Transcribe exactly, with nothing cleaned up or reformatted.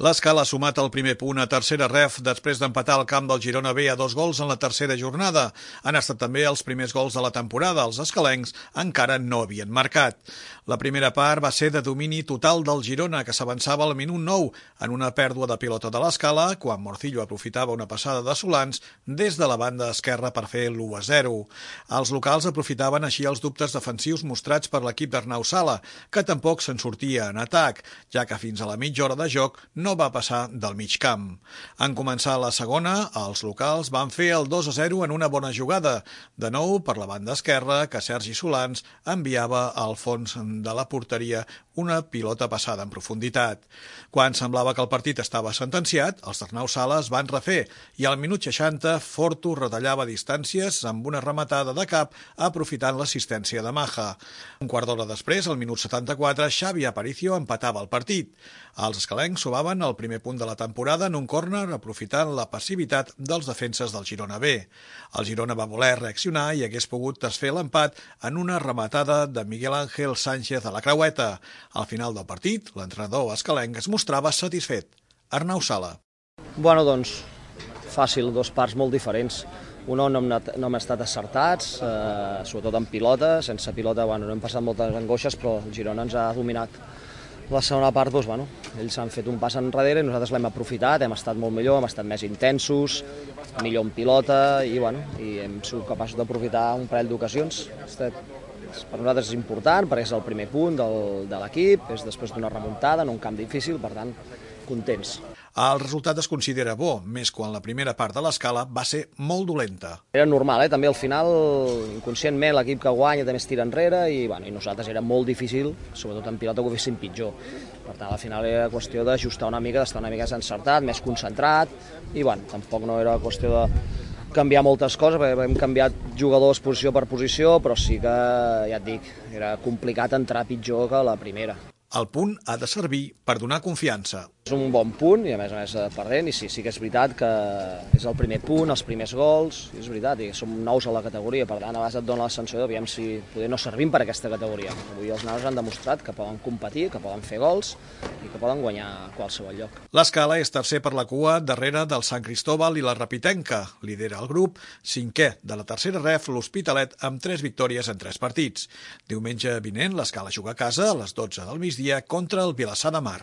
L'Escala ha sumat el primer punt a tercera ref després d'empatar el camp del Girona B a dos gols en la tercera jornada. Han estat també els primers gols de la temporada. Els escalencs encara no havien marcat. La primera part va ser de domini total del Girona, que s'avançava al minut nou en una pèrdua de pilota de l'Escala, quan Morcillo aprofitava una passada de Solans des de la banda esquerra per fer l'u a zero. Els locals aprofitaven així els dubtes defensius mostrats per l'equip d'Arnau Sala, que tampoc se'n sortia en atac, ja que fins a la mitja hora de joc no no va passar del mig camp. En començar la segona, els locals van fer el dos a zero en una bona jugada, de nou per la banda esquerra, que Sergi Solans enviava al fons de la porteria una pilota passada en profunditat. Quan semblava que el partit estava sentenciat, els d'Arnau Sala es van refer i al minut seixanta Fortu retallava distàncies amb una rematada de cap aprofitant l'assistència de Maja. Un quart d'hora després, al minut setanta-quatre, Xavi Aparicio empatava el partit. Els escalencs sobaven el primer punt de la temporada en un córner aprofitant la passivitat dels defenses del Girona B. El Girona va voler reaccionar i hagués pogut desfer l'empat en una rematada de Miguel Ángel Sánchez a la creueta. Al final del partit, l'entrenador escalenc es mostrava satisfet. Arnau Sala. Bueno, doncs, fàcil, dos parts molt diferents. Una on no hem, no hem estat acertats, eh, sobretot en pilota. Sense pilota, bueno, no hem passat moltes angoixes, però el Girona ens ha dominat. La segona part, doncs, bueno, ells han fet un pas enrere i nosaltres l'hem aprofitat, hem estat molt millor, hem estat més intensos, millor en pilota i, bueno, i hem sigut capaços d'aprofitar un parell d'ocasions. Per nosaltres és important perquè és el primer punt del, de l'equip, és després d'una remuntada en un camp difícil, per tant, contents. El resultat es considera bo, més quan la primera part de l'Escala va ser molt dolenta. Era normal, eh? També al final, inconscientment, l'equip que guanya també es tira enrere i, bueno, i nosaltres era molt difícil, sobretot en pilota, que ho fessin pitjor. Per tant, al final era qüestió d'ajustar una mica, d'estar una mica més encertat, més concentrat i, bueno, tampoc no era qüestió de canviar moltes coses, perquè hem canviat jugadors posició per posició, però sí que, ja et dic, era complicat entrar pitjor que la primera. El punt ha de servir per donar confiança. És un bon punt i a més a més perdent i sí, sí que és veritat que és el primer punt, els primers gols, és veritat, i som nous a la categoria, per tant a vegades et dona la sensació d'aviam si poder no servim per aquesta categoria. Avui els nanos han demostrat que poden competir, que poden fer gols i que poden guanyar a qualsevol lloc. L'Escala és tercer per la cua darrere del Sant Cristóbal i la Rapitenca. Lidera el grup, cinquè de la tercera ref, l'Hospitalet, amb tres victòries en tres partits. Diumenge vinent l'Escala juga a casa a les dotze del migdia contra el Vilassar de Mar.